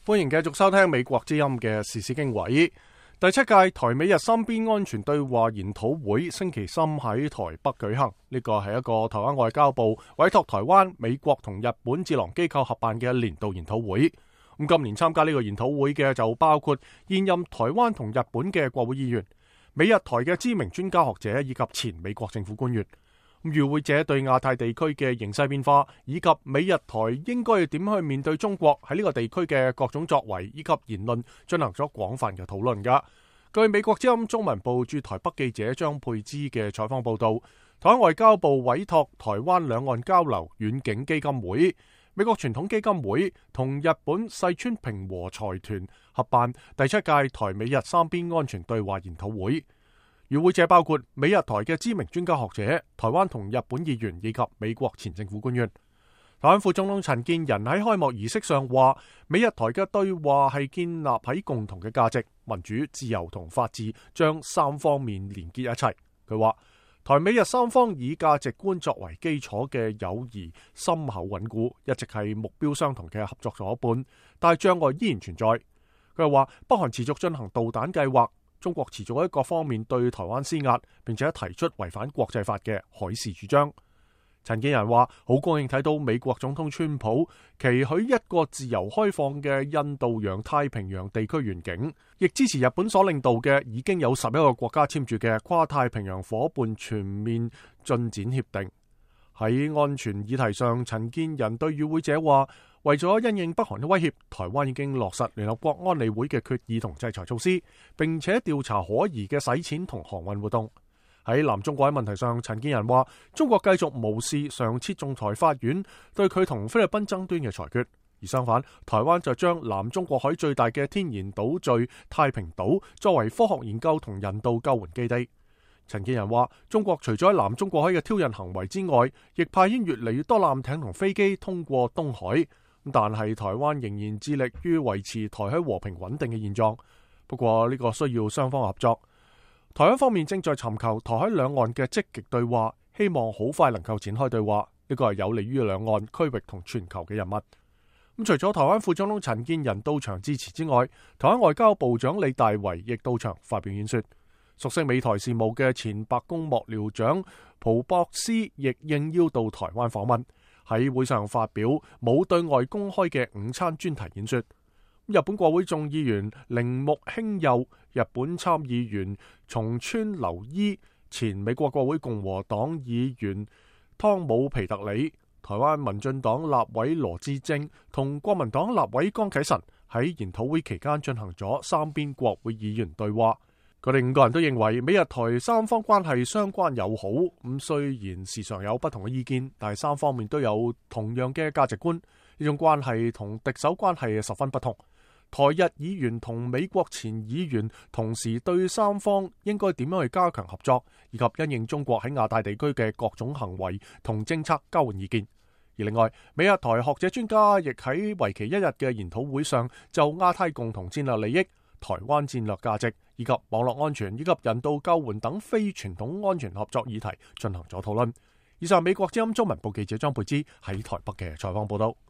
歡迎繼續收聽美國之音嘅時事經緯。第7屆台美日三邊安全對話研討會星期三喺台北舉行。呢個係一個台灣外交部委託台灣、美國同日本智囊機構合辦嘅年度研討會。咁今年參加呢個研討會嘅就包括現任台灣同日本嘅國會議員、美日台嘅知名專家學者以及前美國政府官員。與會者對亞太地區嘅形勢變化以及美日台應該要點去面對中國喺呢個地區嘅各種作為以及言論進行咗廣泛嘅討論㗎。據美國之音中文部駐台北記者張佩芝嘅採訪報道，台灣外交部委託台灣兩岸交流遠景基金會、美國傳統基金會同日本細川平和財團合辦第7屆台美日三邊安全對話研討會。與會者包括美日台嘅知名專家學者、台灣同日本議員以及美國前政府官員。台灣副總統陳建仁喺開幕儀式上話，美日台嘅對話係建立喺共同嘅價值、民主、自由同法治，將三方面連結一齊。佢話，台美日三方以價值觀作為基礎嘅友誼深厚穩固，一直係目標相同嘅合作夥伴，但係障礙依然存在。佢又話，北韓持續進行導彈計劃，中國持續喺各方面對台灣施壓，並且提出違反國際法嘅海事主張。陳建仁話，好高興睇到美國總統川普期許一個自由開放嘅印度洋太平洋地區願景，亦支持日本所領導嘅已經有11個國家簽署嘅跨太平洋夥伴全面進展協定。喺安全議題上，陳建仁對與會者話，為咗因應北韓嘅威脅，台灣已經落實聯合國安理會嘅決議同制裁措施，並且調查可疑嘅洗錢同航運活動。喺南中國喺問題上，陳建仁話，中國繼續無視上次仲裁法院對佢同菲律賓爭端嘅裁決，而相反，台灣就將南中國海最大嘅天然島嶼太平島作為科學研究同人道救援基地。陳建仁話，中國除咗喺南中國海嘅挑釁行為之外，亦派遣越嚟越多艦艇同飛機通過東海，但係台灣仍然致力於維持台海和平穩定嘅現狀。不過呢個需要雙方合作，台灣方面正在尋求台海兩岸嘅積極對話，希望好快能夠展開對話，呢個係有利於兩岸區域同全球嘅人物。咁除咗台灣副總統陳建仁到場致辭之外，台灣外交部長李大維亦到場發表演說。熟悉美台事務嘅前白宮幕僚長蒲博斯亦應邀到台灣訪問，喺會上發表冇對外公開嘅午餐專題演說。日本國會眾議員鈴木興佑、日本參議員松川留伊、前美國國會共和黨議員湯姆皮特里、台灣民進黨立委羅致政同國民黨立委江啟臣喺研討會期間進行咗三邊國會議員對話。佢哋5個人都認為美日台三方關係相關友好，咁雖然時常有不同嘅意見，但係三方面都有同樣嘅價值觀。呢種關係同敵手關係十分不同。台日議員同美國前議員同時對三方應該點樣去加強合作，以及因應中國喺亞太地區嘅各種行為同政策交換意見。而另外，美日台學者專家亦喺為期1日嘅研討會上就亞太共同戰略利益、台灣戰略價值以及網絡安全以及人道救援等非傳統安全合作議題進行咗討論。以上美國之音中文部記者張佩芝喺台北嘅採訪報道。